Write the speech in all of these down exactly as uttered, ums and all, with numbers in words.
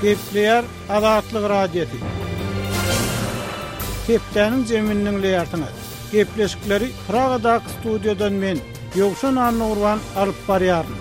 Gepleýär Azatlyk Radiosy. Hepdäniň jemini diňleýärsiňiz. Gepleşikleri Pragadaky studiýadan men, Ýowşan Annagurban alyp barýaryn.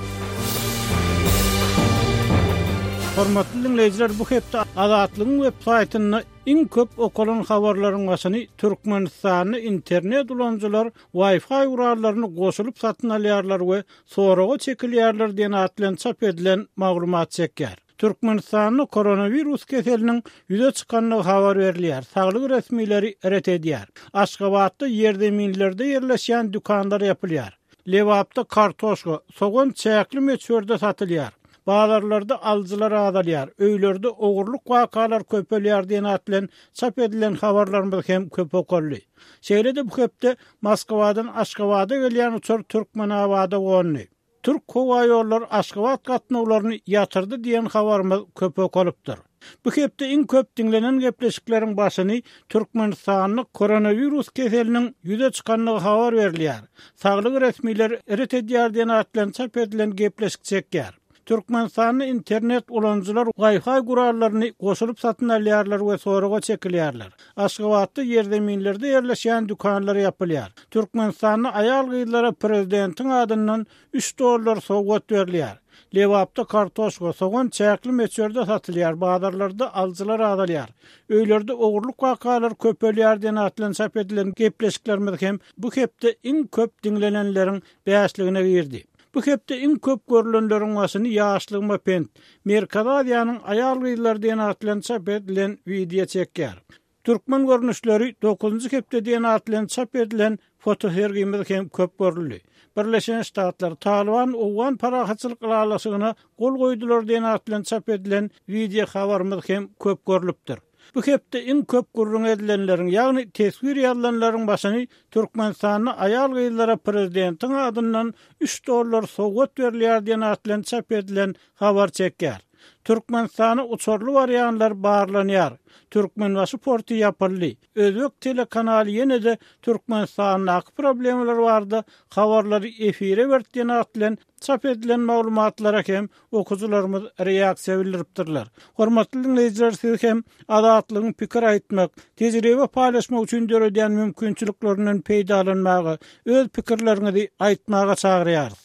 Hormatly dinleýjiler, bu hepde Azatlygyň web saýtynda iň köp okalan habarlaryň başyny Türkmenistanda internet ulanyjylar Wi-Fi gurallaryny goşulyp satyn alýarlar we soraga çekilýärler diýen at bilen çap edilen maglumat çekýär. Türkmenistanda koronawirus keseliniň ýüze çykandygy habar berilýär. Saglyk resmileri ret edýär. Aşgabatda ýerzeminlerde ýerleşýän dükanlar ýapylýar. Lebapda kartoşka, sogan çäkli möçberde satylýar. Bazarlarda alyjylar azalýar, öýlerde ogurlyk wakalar köpelýär diýen at bilen çap edilen habarlarymyz hem köp okaldy. Şeýle-de bu hepde Moskwadan Aşgabada gelýän uçar Türkmenabada gondy. Türk howa ýollary Aşgabat gatnawlaryny ýatyrdy diýen habarymyz köp okalypdyr. Bu hepde iň köp diňlenen gepleşikleriň başyny Türkmenistanda koronawirus keseliniň ýüze çykandygy habar berilýär. Saglyk resmileri ret edýär diýen at bilen çap edilen gepleşik çekýär. Türkmenistanda internet ulanyjylar Wi-Fi gurallaryny goşulyp satyn alýarlar we soraga çekilýärler. Aşgabatda ýerzeminlerde ýerleşýän dükanlar ýapylýar. Türkmenistanda aýal-gyzlara prezidentiň adyndan üç dollar sowgat berilýär. Lebapda kartoşka, sogan çäkli möçberde satylýar, bazarlarda alyjylar azalýar. Öýlerde ogurlyk wakalar köpelýär diýen at bilen çap edilen gepleşiklerimiz hem bu hepde iň köp diňlenenleriň bäşligine girdi. Bu hepde iň köp görülenleriň başyny ýaşlygyma pent, Merkezi Aziýanyň aýal-gyzlary diýen at bilen çap edilen wideo çekýär. Türkmen görnüşleri dokuzynjy hepde diýen at bilen çap edilen fotosergimiz hem köp görüldi. Birleşen Ştatlar Taliban Owgan parahatçylyk ylalaşygyna gol goýdular diýen at bilen çap edilen wideo habarymyz hem köp görülipdir. Bu hepde iň köp gürrüň edilenleriň, ýagny teswir ýazylanlaryň başyny Türkmenistanda aýal-gyzlara prezidentiň adyndan üç dollar sowgat berilýär diýen at bilen çap edilen habar çekýär. Türkmenistana uçarly barýanlar barlanýar. Türkmenbaşy porty ýapyldy. Özbek telekanaly ýene-de Türkmenistandaky problemalar barada habarlary efire berdi diýen at bilen çap edilen maglumatlara hem okyjylarymyz reaksiýa bildiripdirler. Hormatly dinleýjiler, siz hem Azatlygyň pikir aýtmak, tejribe paýlaşmak üçin döredýän mümkinçiliklerinden peýdalanmaga, öz pikirleriňizi aýtmaga çagyrýarys.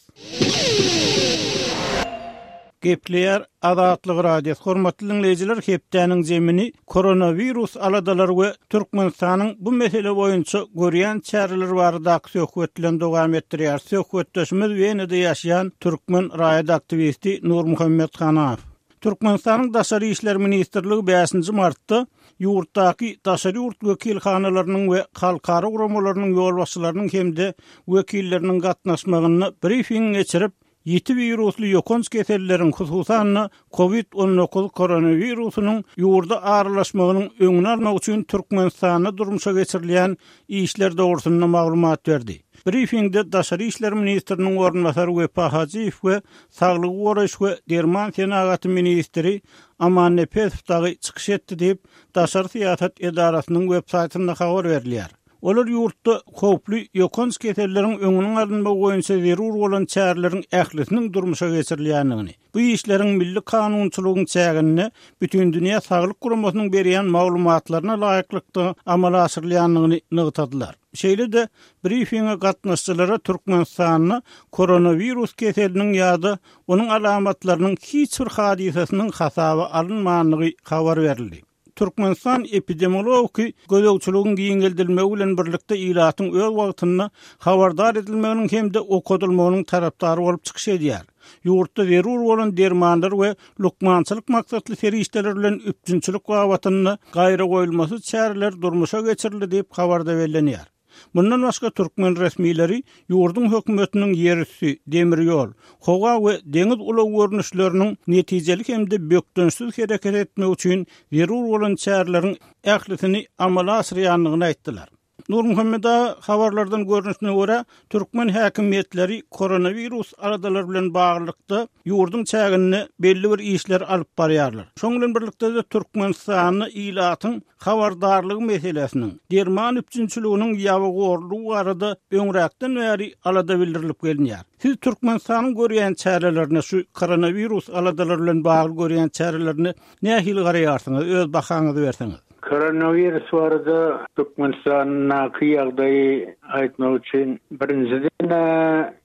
Gepleýär Azatlyk Radiosy. Hormatly dinleýjiler, hepdäniň zemini koronawirus aladalary we Türkmenistanyň bu mesele boýunça görýän çäreleri baradaky söhbet bilen dowam etdirýär. Söhbetdeşimiz Wenada ýaşaýan türkmen raýat aktiwisti Nurmuhammet Hanaw. Türkmenistanyň Daşary işler ministrligi bäşinji martda ýurtdaky daşary ýurt wekilhanalarynyň we halkara guramalarynyň ýolbaşçylarynyň hem-de wekilleriniň gatnaşmagynda brifing geçirip, ýiti wirusly ýokanç keselleriň, hususan-da COVID on dokuz koronawirusynyň ýurda aralaşmagynyň öňüni almak üçin Türkmenistanda durmuşa geçirilýän işler dogrusynda maglumat berdi. Briefingde Daşary işler ministriniň orunbasary Wepa Hajyýew we Saglygy goraýyş we derman senagaty ministri Aman Nepesow dagy çykyş etdi diýip, Daşary syýasat edarasynyň web saýtynda habar berilýär. Olar ýurtda howply ýokanç keselleriň öňüniň alynmagy boýunça zerur bolan çäreleriň ählisiniň durmuşa geçirilýändigini, bu işleriň milli kanunçylygyň çäginde Bütindünýä Saglyk Guramasynyň berýän maglumatlaryna laýyklykda amala aşyrylýandygyny nygtadylar. Şeýle-de briefinge gatnaşyjylara Türkmenistanda koronawirus keseliniň ýa-da onuň alamatlarynyň hiç bir hadysasynyň hasaba alynmandygy habar berildi. Türkmenistan epidemiologiki gözegçiligiň giňeldilmegi bilen birlikde ilatyň öz wagtynda habardar edilmeginiň hem-de okadylmagynyň tarapdary bolup çykyş edýär. Ýurtda zerur bolan dermanlar we lukmançylyk maksatly serişdeler bilen üpjünçilik babatynda gaýra goýulmasyz çäreler durmuşa geçirildi diýip habarda bellenýär. Mundan başga türkmen resmileri ýurduň hökümetiniň ýerüsti, demir ýol, howa we deňiz ulag görnüşleriniň netijeli hem-de bökdençsiz hereket etmek üçin zerur bolan çäreleriň ählisini amala aşyrýandygyny aýtdylar. Nurmuhammet aga, habarlardan görnüşine görä, türkmen häkimiýetleri koronawirus aladalary bilen baglylykda ýurduň çäginde belli bir işleri alyp barýarlar. Şonuň bilen birlikde-de Türkmenistanda ilatyň habardarlygy meselesiniň, derman üpjünçiliginiň ýabygorlugy barada öňräkden bäri alada bildirilip gelinýär. Siz Türkmenistanyň görýän çärelerine, şu koronawirus aladalary bilen bagly görýän çärelerine nähili garaýarsyňyz, öz bahaňyzy berseňiz? Koronawirus barada Türkmenistandaky ýagdaýy aýtmak üçin birinjiden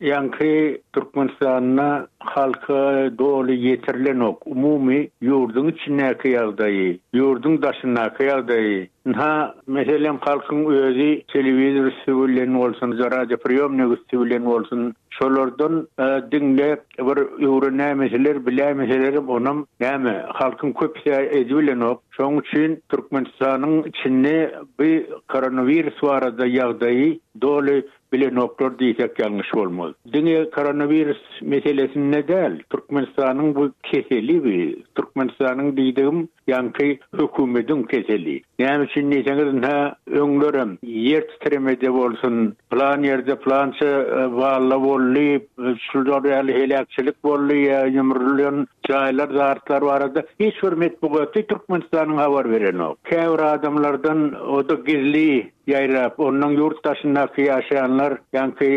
ýaňky Türkmenistanda halka doly ýetirilenok. Umumy ýurduň içindäki ýagdaýy, ýurduň daşyndaky ýagdaýy. Ha, meselem halkyň özi telewizor üstü bilen bolsun, radio priýomnik üstü bilen bolsun, şolardan diňläp bir öwrenämeseler, bilämeseler onam näme halkyň köpüsi edibilenok. Şonuň üçin Türkmenistanyň içinde bir koronawirus barada ýagdaýy doly bilenoklar diýsek ýalňyş bolmaz. Diňe koronawirus meselesinde däl, Türkmenistanyň bu keseli bi, Türkmenistanyň diýdigim ýaňky hökümetiň keseli. Näme üçin diýseňiz, ha öňlerem ýer titremede bolsun, plan ýerde plança balla boldy, şular ýaly heläkçilik boldy, ýa ýumrulan jaýlar, zartlar barada hiç bir metbugaty Türkmenistanyň habar berenok. Käbir adamlardan o da gizli ýaýrap, ondan ýurt daşyndaky ýaşayanlar, ýaňky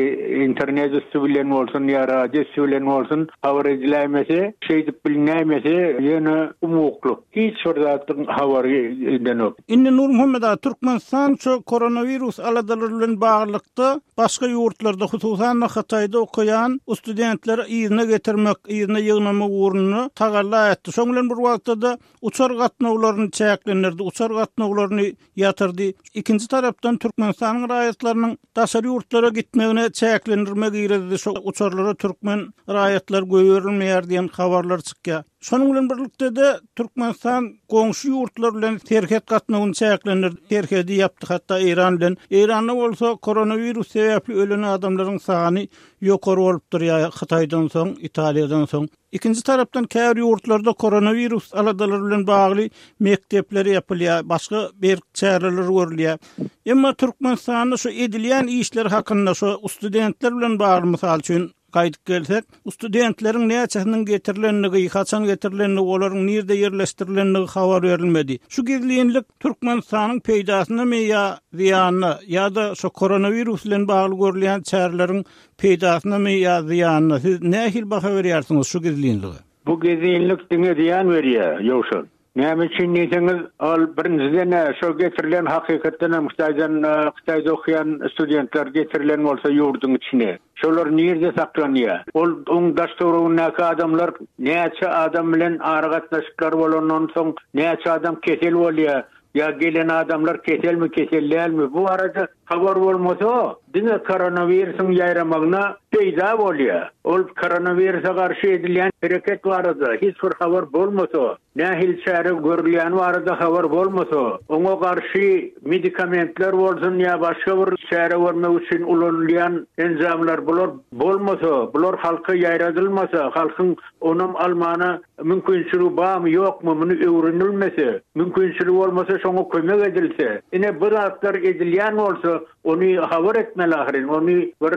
internet üstü bilen bolsun, ýa radio üstü bilen bolsun, habar ediläýmese, şeýdip bilinäýmese, ýöne umuklyk, hiç bir zatyň habary edenok. Indi Nurmuhammet aga, Türkmenistan şu koronawirus aladalary bilen baglylykda başga ýurtlarda, hususan Hytaýda okaýan studentleri yzyna getirmek, yzyna ýygnamak ugrunda tagalla etdi. Şonuň bilen bir wagtda da uçar gatnawlaryny çäklendirdi, uçar gatnawlaryny ýatyrdy. Ikinji tarapdan Türkmenistanyň raýatlarynyň daşary ýurtlara gitmegine çäklendirme girizdi. Şu uçarlara türkmen raýatlar goýberilmeýär diýen habarlar çykýar. Şonuň bilen birlikde de Türkmenistan goňşy ýurtlar bilen serhet gatnawyny çäklendirdi, serhedi ýapdy hatda Eýran bilen. Eýranda bolsa koronawirus sebäpli ölen adamlaryň sany ýokary bolupdyr ýa Hytaýdan soň, Italiýadan soň. Ikinji tarapdan käbir ýurtlarda koronawirus aladalary bilen bagly mekdepler ýapylýar, başga bir çäreler görülýär. Emma Türkmenistanda şu edilýän işler hakynda şu studentler bilen bagly mysal üçin gaýdyp gelsek, studentleriň näçesiniň getirilenligi, haçan getirilenligi, olaryň nirde ýerleşdirilenligi habar berilmedi. Şu gizlinlik Türkmenistanyň peýdasyna ýa zyýanyna ýa-da şu koronawirus bilen bagly görülýän çäreleriň peýdasyna ýa zyýanyna siz nähili baha berýärsiňiz şu gizlinlige? Bu gizlinlik diňe zyýan berýär, ýowşan. Näme üçin diýseňiz, ol birinjiden şo getirilen hakykatdan hem Hytaýdan Hytaýda okuýan studentler getirilen bolsa ýurduň içine. Şolar nirde saklanýar? Ol oň daş töweregindäki adamlar näçe adam bilen aragatnaşyklar bolandan soň näçe adam kesel bolýar? Ýa gelen adamlar keselmi, kesel dälmi? Bu arada habar bolmasa, diňe koronawirusyň ýaýramagyna peýda bolýar. Ol koronawirusa garşy edilýän hereket barada hiç bir habar bolmasa, nähili çäre görülýän barada habar bolmasa, oňa garşy medikamentler bolsun ýa başga bir çäre görmek üçin ulanylýan enjamlar bular bolmasa, bular halka ýaýradylmasa, halkyň onam almana mümkinçiligi barmy ýokmy muny öwrenilmese, mümkinçiligi bolmasa şoňa kömek edilse, ine bu zatlar edilýän bolsa, ony habar etmeli ahyryn, ony bir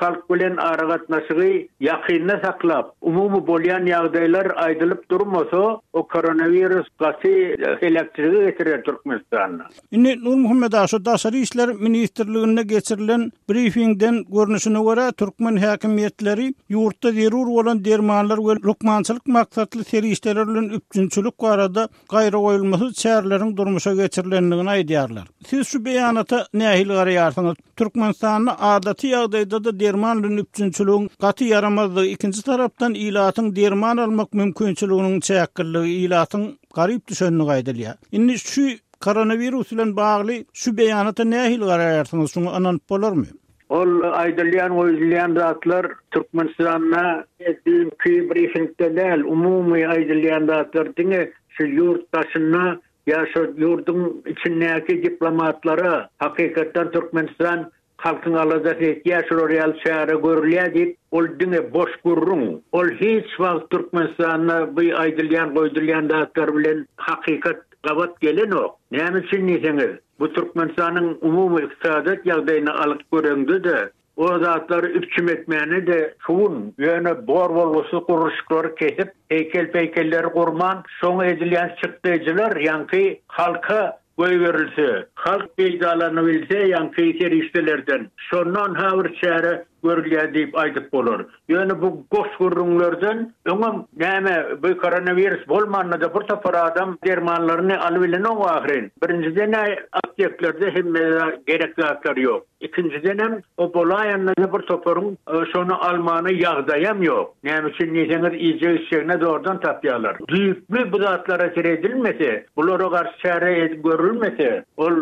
halk bilen aragatnaşygy ýakynda saklap, umumy bolýan ýagdaýlar aýdylyp durmasa, o koronawirus gaty heläkçilige getirer Türkmenistanda. Indi Nurmuhammet aga, şu Daşary işler ministrliginde geçirilen briefingden görnüşine görä türkmen häkimiýetleri ýurtda zerur bolan dermanlar we lukmançylyk maksatly serişdeler bilen üpjünçilik barada gaýra goýulmasyz çäreleriň durmuşa geçirilendigini aýdýarlar. Siz şu beýanata nähili garaýarsyňyz? Türkmenistanda adaty ýagdaýda da derman bilen üpjünçiligiň gaty ýaramazdygy, ikinji tarapdan ilatyň derman almak mümkinçiliginiň çäkliligi, ilatyň garyp düşenligi aýdylýar. Indi şu koronawirus bilen bagly şu beýanata nähili garaýarsyňyz? Şuňa ynanyp bolarmy? Ol aýdylýan, goýulýan zatlar Türkmenistanda düýnki briefingde däl, umumy aýdylýan zatlar diňe şu ýurt daşynda ýa şu ýurduň içindäki diplomatlara hakykatdan Türkmenistan halkyň aladasy etýär, şular ýaly çäre görülýär diýip, ol diňe boş gürrüň. Ol hiç wagt Türkmenistanda bu aýdylýan, goýdulýan zatlar bilen hakykat gabat gelenok. Näme üçin diýseňiz, bu Türkmenistanyň umumy ykdysady ýagdaýyny alyp göreňde-de o zatlary üpjün etmäne de şugun ýöne bor bolgusy gurluşyklary kesip heykel peykelleri gurman şoňa edilýän çykdajylar ýaňky halka goýberilse, halk peýdalanyp bilse ýaňky serişdelerden şondan ha bir çäre görülýär diýip aýdyp bolar. Ýöne bu goş gürrüňlerden öňem näme bu koronawirus bolmanda da bir topar adam dermanlaryny alyp bilen o ahyryn. Birinjiden apteklerde hemme gerek zatlar ýok. Ikinciden hem o bolaýanda da bir toparyň şonu almany ýagdaýam ýok. Näme üçin diýseňiz iýjek içjegine zordan tapýarlar. Düýpli bu zatlara seredilmese, bulara garşy çäre edip görülmese, ol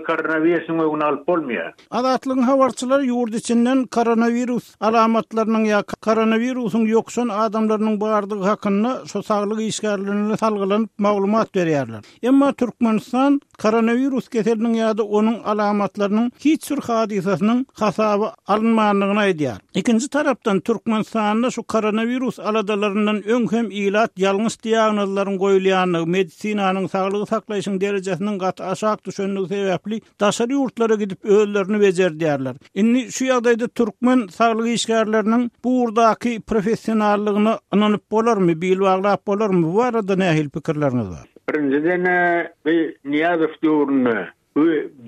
koronawirusyň öňüni alyp bolmaýar. Azatlygyň habarçylary ýurt içinden koronawirus alamatlarynyň ýa koronawirusyň ýokuşan adamlarynyň bardygy hakynda şu saglyk işgärlerine salgylanyp maglumat berýärler. Emma Türkmenistan koronawirus keseliniň ýa-da onuň alamatlarynyň hiç bir hadysasynyň hasaby alynmandygyny aýdýar. Ikinji tarapdan Türkmenistanda şu koronawirus aladalaryndan öň hem ilat ýalňyş diagnozlaryň goýulýandygy, medisinanyň saglygy saklaýşyň derejesiniň gaty aşak düşenligi sebäpli daşary ýurtlara gidip özlerini bejerdiärler. Indi şu ýagdaýda türkmen saglyk işgärleriniň bu ugurdaky professionallygyna ynanyp bolarmy, bil baglap bolarmy? Bu barada nähili pikirleriňiz bar? Birinjiden bir Niýazow döwründe bu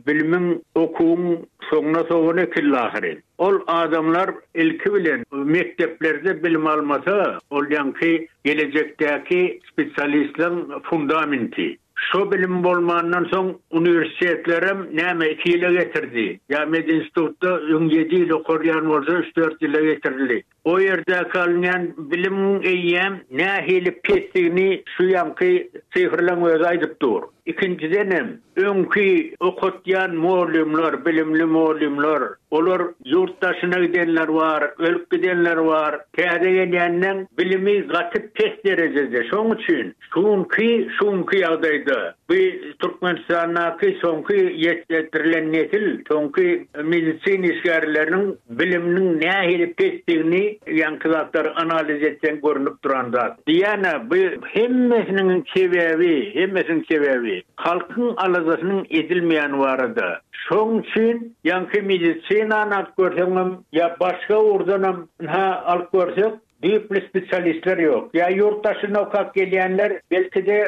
bilimiň okuwyň soňuna soňuna killahyryn. Ol adamlar ilki bilen mekdeplerde bilim almasa, ol ýaňky gelejekdäki spesialistlerin fundamenti. Şo bilim bolmandan soň uniwersitetlerem näme iki ýyla getirdi. Ýa medinstitutda öň ýedi ýyl okarýan bolsa üç dört ýyla getirildi. O ýerde kalynýan bilimiň eýýäm nähili pesdigini şu ýaňky sifrleň özi aýdyp dur. Ikinjiden hem öňki okatýan muallimler, bilimli muallimler, olar ýurt daşyna gidenler bar, ölüp gidenler bar. Täze gelýänden bilimi gaty pes derejede. Şoň üçin şunky şunky ýagdaýda bu Türkmenistandaky soňky ýetişdirilen nesil, soňky medisina işgärleriniň biliminiň nähili pesdigini ýaňky zatlar analiz etsen görünip duran zat. Diýene bu hemmesiniň sebäbi, hemmesiniň sebäbi halkyň aladasynyň edilmeýän barada. Şoň üçin ýaňky medisinany alyp görseňem ýa başga ugurdanam ha alyp görsek düýpli spesialistler ýok. Ýa ýurt daşyna okap gelýänler belki de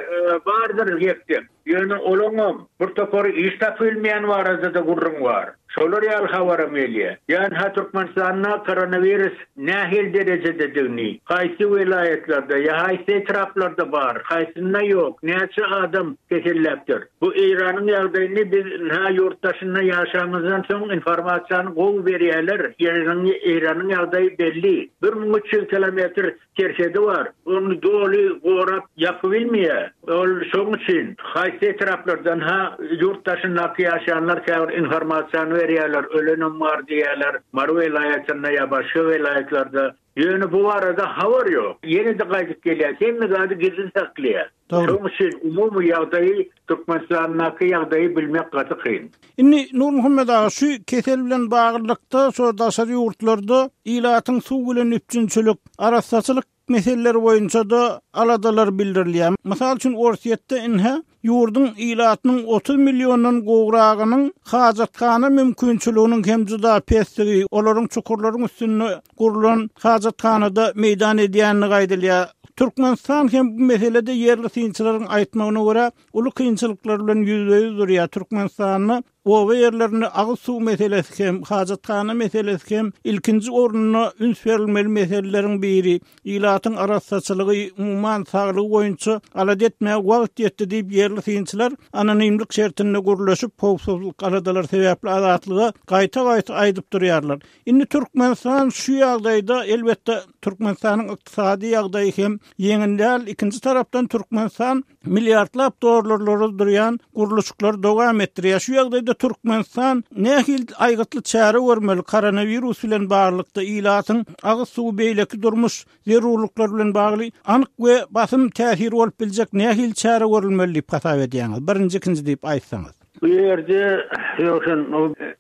bardyr ýekde. Ýöne olaňam bir topary iş tapylmaýan barada da gurrun bar. Şolar ýaly habaram gelýär. Ýani ha Türkmenistanda koronawirus nähili derejededigini, haýsy welaýatlarda ýa haýsy etraplarda bar, haýsynda ýok, näçe adam keselläpdir. Bu Eýranyň ýagdaýyny biz ha ýurt daşynda ýaşamyzdan soň informasiýany gowy berýärler. Eýranyň Eýranyň ýagdaýy belli. bir müň üç ýüz kilometr serhedi bar. Onu doly gorap ýapyp bilmeýär. Ol şoň üçin haýsy etraplardan ha ýurt daşyndaky ýaşayanlar käbir informasiýany berýärler, ölenem bar diýýärler. Mary welaýatynda ýa başga welaýatlarda. Ýöne bu barada habar ýok. Ýene de gaýdyp gelýär. Hemme zady gizlin saklaýar. Şoň üçin umumy ýagdaýy Türkmenistandaky ýagdaýy bilmek gaty kyn. Indi Nurmuhammet aga şu kesel bilen baglylykda şu daşary ýurtlarda ilatyň suw bilen üpjünçilik, arassaçylyk meseleleri boýunça da aladalar bildirilýär. Mysal üçin Orsýetde inhe ýurduň ilatynyň otuz milliondan gowragynyň hajathana mümkinçiliginiň hem juda pesdigi, olaryň çukurlaryň üstünde gurulan hajathanada meýdan edýänligi aýdylýar. Türkmenistan hem bu meselede ýerli synçylaryň aýtmagyna görä uly kynçylyklar bilen ýüzbe-ýüz durýar. Türkmenistanda oba ýerlerinde agyz suw meselesi hem, hajathana meselesi hem ilkinji orunda üns berilmeli meseleleriň biri. Ilatyň arassaçylygy, umuman saglygy boýunça alada etmäge wagt ýetdi diýip ýerli synçylar anonimlik şertinde gurlaşyp, howpsuzlyk aladalar sebäpli azatlyga gaýta-gaýta aýdyp durýarlar. Indi Türkmenistan şu ýagdaýda elbetde Türkmenistanyň ykdysady ýagdaýy hem ýeňil däl. Ikinji tarapdan Türkmenistan milliardlap dollarlara durýan gurluşyklary dowam etdirýär. Şu ýagdaýda Türkmenistan nähili aýgytly çäre görmeli koronawirus bilen baglylykda ilatyň agyz suwy beýleki durmuş zerurlyklary bilen bagly anyk we basym täsir bolup biljek nähili çäre görülmeli diýip hasap edýäňiz? Birinji, ikinji diýip aýtsaňyz. Bu ýerde ýoksun,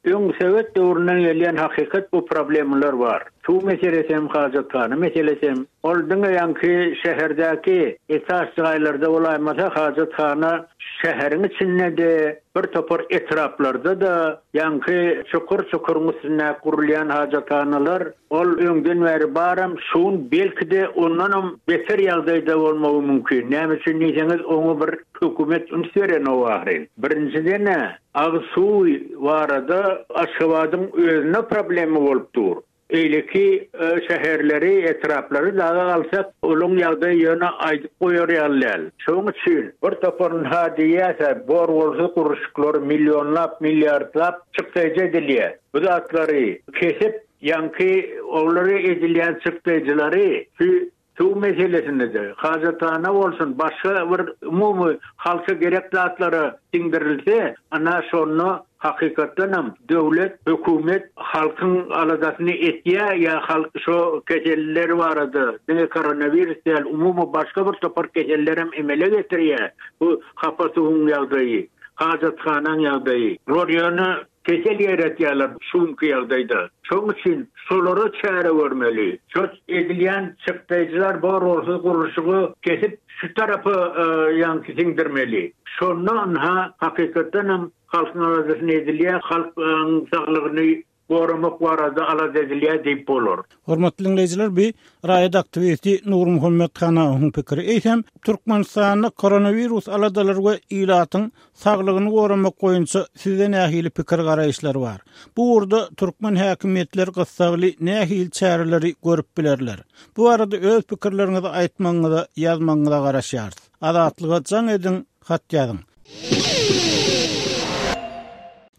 öň Sowet döwründen gelýän hakykat bu problemler bar. Suw meselesi hem hajathana meselesi hem. Ol diňe ýaňky şäherdäki esas jaýlarda bolaýmasa hajathana şäheriň içinde-de bir topar etraplarda-da ýaňky çukur-çukuryň üstünde gurulýan hajathanalar ol öňden bäri baram şun belki-de ondanam beter ýagdaýda bolmagy mümkin. Näme üçin diýseňiz oňa bir hökümet üns beren o ahyryn. Birinjiden agyz suwy barada Aşgabadyň özüne problemi bolup dur. Eýleki şäherleri, etraplary daga alsak, onuň ýagdaýy ýöne aýdyp goýar ýaly däl. Şonuň üçin bir toparyn ha diýýärse, bor bolsa gurluşyklar millionlap, milliardlap çykdaýjy edilýär. Bu zatlary kesip, ýaňky olary edilýän çykdaýjylary şu suw meselesinde-de, hajathana bolsun, başga bir umumy halka gerek zatlara siňdirilse, ana şonda hakykatdanam döwlet, hökümet halkyň aladasyny etýär ýa halk şo keseller barada, diňe koronawirus däl, umumy başga bir topar keseller hem emele getirýär. Bu hapa suwuň ýagdaýy, hajathanaň ýagdaýy. Bular ýöne kesel ýeretýärler şuňky ýagdaýda. Şonuň üçin şolara çäre görmeli. Şo edilýän çykdaýjylar bor bolsa gurluşygy kesip şu tarapa, e, ýaňky siňdirmeli. Şonda anha hakykatdanam halkyň aladasyny edilýär, halkyň saglygyny goramak barada alada edilýär diýip bolar. Hormatly dinleýjiler, bi raýat aktiwisti Nurmuhammet Hanawyň pikiri. Eýsem, Türkmenistanda koronawirus aladalary we ilatyň saglygyny goramak boýunça sizde nähili pikir garaýyşlar bar? Bu ugurda türkmen häkimiýetleri gyssagly nähili çäreleri görüp bilerler? Bu arada öz pikirleriňizi aýtmagyňyza, ýazmagyňyza garaşýarys. Azatlyga jaň ediň, hat ýazyň.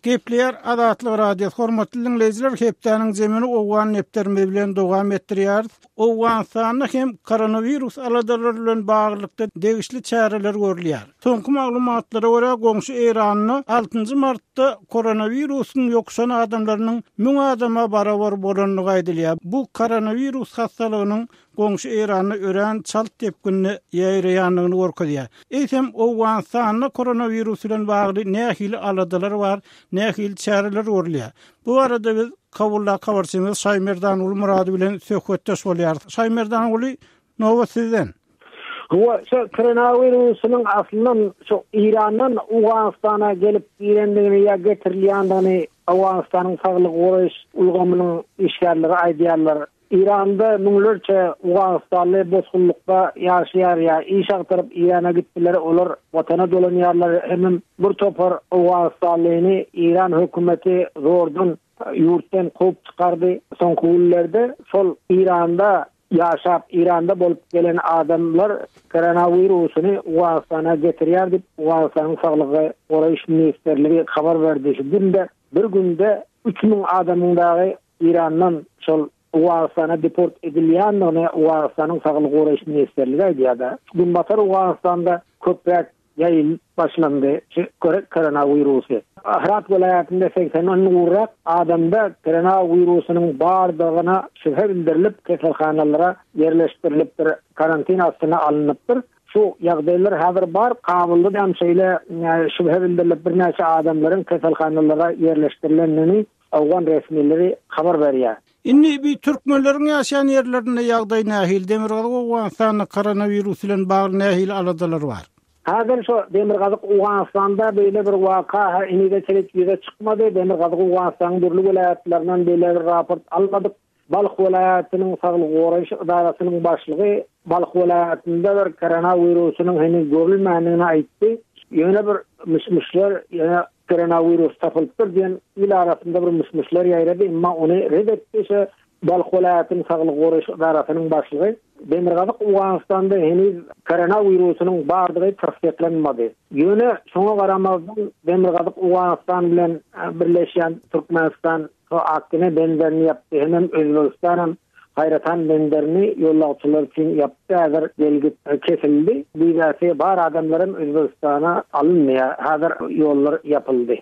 Gepleýär Azatlyk Radiosy. Hormatly dinleýjiler, hepdäniň zemini Owgan nepterimiz bilen dowam etdirýäris. Owganystanda hem koronawirus aladalary bilen baglylykda degişli çäreler görülýär. Soňky maglumatlara görä, goňşy Eýranda altynjy martda koronawirusyň ýokuşan adamlarynyň müň adama barabar bolandygy aýdylýar. Bu koronawirus hastalygynyň goňşy Eýranda örän çalt depginde ýaýraýandygyny görkezýär. Eýsem, Owganystanda koronawirus bilen bagly nähili aladalar bar, nähili çäreler görülýär? Bu arada biz Kabulda habarçymyz Şaýmerdan Ulmurady bilen söhbetdeş bolýarys. Şaýmerdan Uly, nobat sizden. Bu şu koronawirusynyň aslynda şu Irandan Owganystana gelip girendigini ýa getirilýändigini Owganystanyň saglyk goraýyş ulgamynyň işgärleri aýdýarlar. Iranda müňlerçe Owganistanly bosgunlykda ýaşaýar ýa iş agtaryp Irana gitdiler, olar watana dolanýarlar. Hemem bir topar Owganistanlyny İran hökümeti zordan ýurtdan kowup çykardy. Soňky günlerde şol Iranda ýaşap, Iranda bolup gelen adamlar koronawirusyny Owganystana getirýär diýip, Owganystanyň Saglygy Goraýyş Ministrligi habar berdi. Şu günde bir günde üç müň adamyň dagy Irandan şol Owganystana deport edilýändigini Owganystanyň Saglygy Goraýyş Ministrligi aýdýar. Günbatar Owganystanda köpräk ýaýylyp başlandy şu koronawirusy. Herat welaýatynda seksen gowrak adamda koronawirusynyň bardygyna şübhe bildirilip, keselhanalara ýerleşdirilipdir, karantin astyna alnypdyr. Şu ýagdaýlar häzir bar. Kabulda hem şeýle, e, şübhe bildirilip birnäçe adamlaryň keselhanalara ýerleşdirilendigini Owgan resmileri habar berýär. Indi bir türkmenleriň ýaşaýan ýerlerinde ýagdaý nähili? Demirgazyk Owganystanda koronawirus bilen bagly nähili aladalar bar? Häzir şu Demirgazyk Owganystanda beýle bir waka henizçe ýüze çykmady. Demirgazyk Owganystanyň dürli welaýatlaryndan beýle bir raport almadyk. Balh welaýatynyň saglyk goraýyş edarasynyň başlygy Balh welaýatynda bir koronawirusynyň heniz görülmändigini aýtdy. Ýöne bir mişmişler, ýöne koronawirus tapylypdyr diýen il arasynda bir mişmişler ýaýrady, emma ony red etdi. Şu Balh welaýatynyň saglyk goraýyş edarasynyň başlygy Demirgazyk Owganystanda heniz koronawirusynyň bardygy tassyklanmady. Ýöne şoňa garamazdan Demirgazyk Owganystan bilen, e, birleşýän Türkmenistan şu Akgine benderini ýapdy, hemem Özbegistan hem Haýratan benderini ýolagçylar üçin ýapdy, häzir gelgit, e, kesildi. Wizasy bar adamlar hem Özbegistana alynmaýar. Häzir ýollar ýapyldy.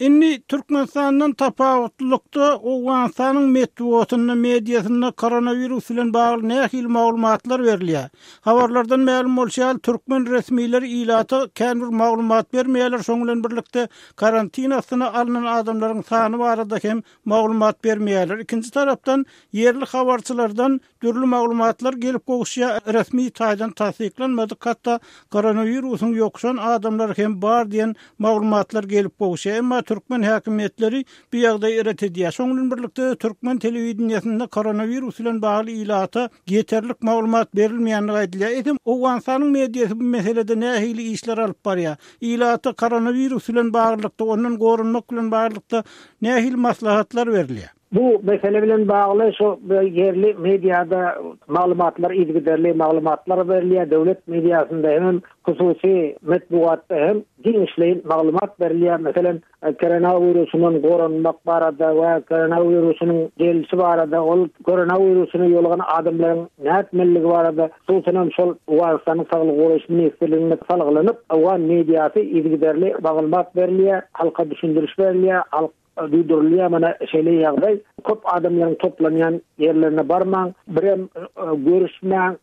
Indi Türkmenistandan tapawutlylykda Owganystanyň metbugatynda, mediasynda koronawirus bilen bagly nähili maglumatlar berilýär? Habarlardan mälim bolşy ýaly, türkmen resmileri ilata kän bir maglumat bermeýärler, şonuň bilen birlikde karantin astyna alnan adamlaryň sany barada hem maglumat bermeýärler. Ikinji tarapdan ýerli habarçylardan dürli maglumatlar gelip gowuşýar, resmi taýdan tassyklanmadyk, hatda koronawirusyň ýokuşan adamlar hem bar diýen maglumatlar gelip gowuşýar. Emma türkmen häkimiýetleri bu ýagdaýy ret edýär. Şonuň bilen birlikde türkmen telewideniýesinde koronawirus bilen bagly ilata ýeterlik maglumat berilmeýändigi aýdylýar. Eýsem, Owganystanyň mediasy bu meselede nähili işler alyp barýar? Ilata koronawirus bilen baglylykda, ondan goranmak bilen baglylykda nähili maslahatlar berilýär? Bu mesele bilen bagly şu ýerli mediada maglumatlar yzygiderli maglumatlar berilýär. Döwlet mediasynda hem hususy metbugatda hem giňişleýin maglumat berilýär. Meselem, koronawirusundan goranmak barada we koronawirusynyň gelişi barada, ol koronawirusyna ýolugan adamlaryň nätmeliligi barada, hususan şol Owganystanyň Saglygy goraýyş ministrligine salgylanyp, owgan mediasy yzygiderli maglumat berilýär, halka düşündiriş berilýär, halk duýdurylýar. Mana şeýle ýagdaý, köp adamlaryň toplanýan ýerlerine barmaň, birem görüşmäň,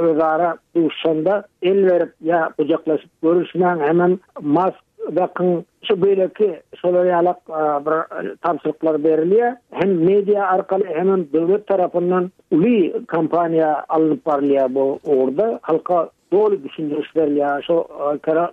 özara duşanda el berip ýa gujaklaşyp görüşmäň, hemen mask dakyň, şu beýleki şolar ýaly bir tabşyryklar berilýär. Hem media arkaly hem döwlet tarapyndan uly kampaniýa alnyp barylýar bu ugurda. Halka doly düşündiriş berilýär şu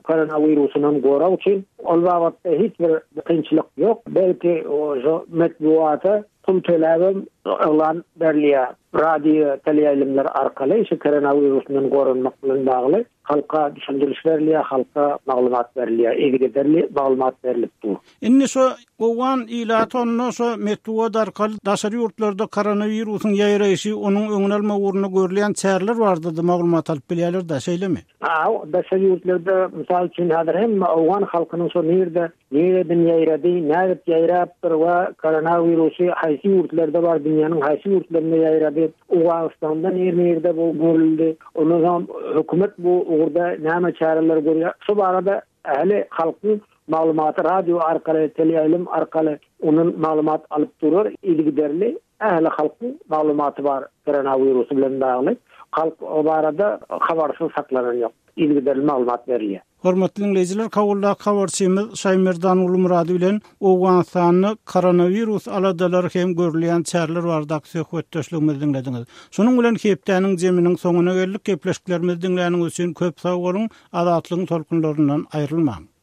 koronawirusundan gorag üçin. Ol babatda hiç bir kynçylyk ýok. Belki şu metbugata pul töläbem yglan berilýär. Radio, teleýaýlymlar arkaly şu koronawirusundan goranmak bilen bagly halka düşündiriş berilýär, halka maglumat berilýär, yzygiderli maglumat berilip dur. Indi şu owgan ilaty onda şu metbugat arkaly daşary ýurtlarda koronawirusyň ýaýraýşy, onuň öňüni almak ugrunda görülýän çäreler barada maglumat alyp bilýärler-de, şeýlemi? Ha, daşary ýurtlarda mysal üçin häzir hem owgan halkynyň şu nirde, nireden ýaýrady, nädip ýaýrapdyr we koronawirusy haýsy ýurtlarda bar, dünýäniň haýsy ýurtlarynda ýaýrady, Owganystanda nirde bu görüldi, ondan soň hökümet bu ugurda näme çäreler görýär? Şu barada ähli halkyň maglumaty radio arkaly, teleýaýlym arkaly onun maglumat alyp durur, yzygiderli ähli halkyň maglumaty bar koronawirusy bilen bagly. Halk o barada habarsyz saklanan ýok. Yzygiderli maglumat berilýär. Hormatly dinleýjiler, Kabuldaky habarçymyz Şaýmerdan Ulumurady bilen Owganystanda koronawirus aladalary hem görülýän çäreler baradaky söhbetdeşligimizi diňlediňiz. Şonuň bilen hepdäniň zeminiň soňuna geldik. Gepleşiklerimizi diňläniňiz üçin köp sag boluň. Azatlygyň tolkunlaryndan aýrylmaň.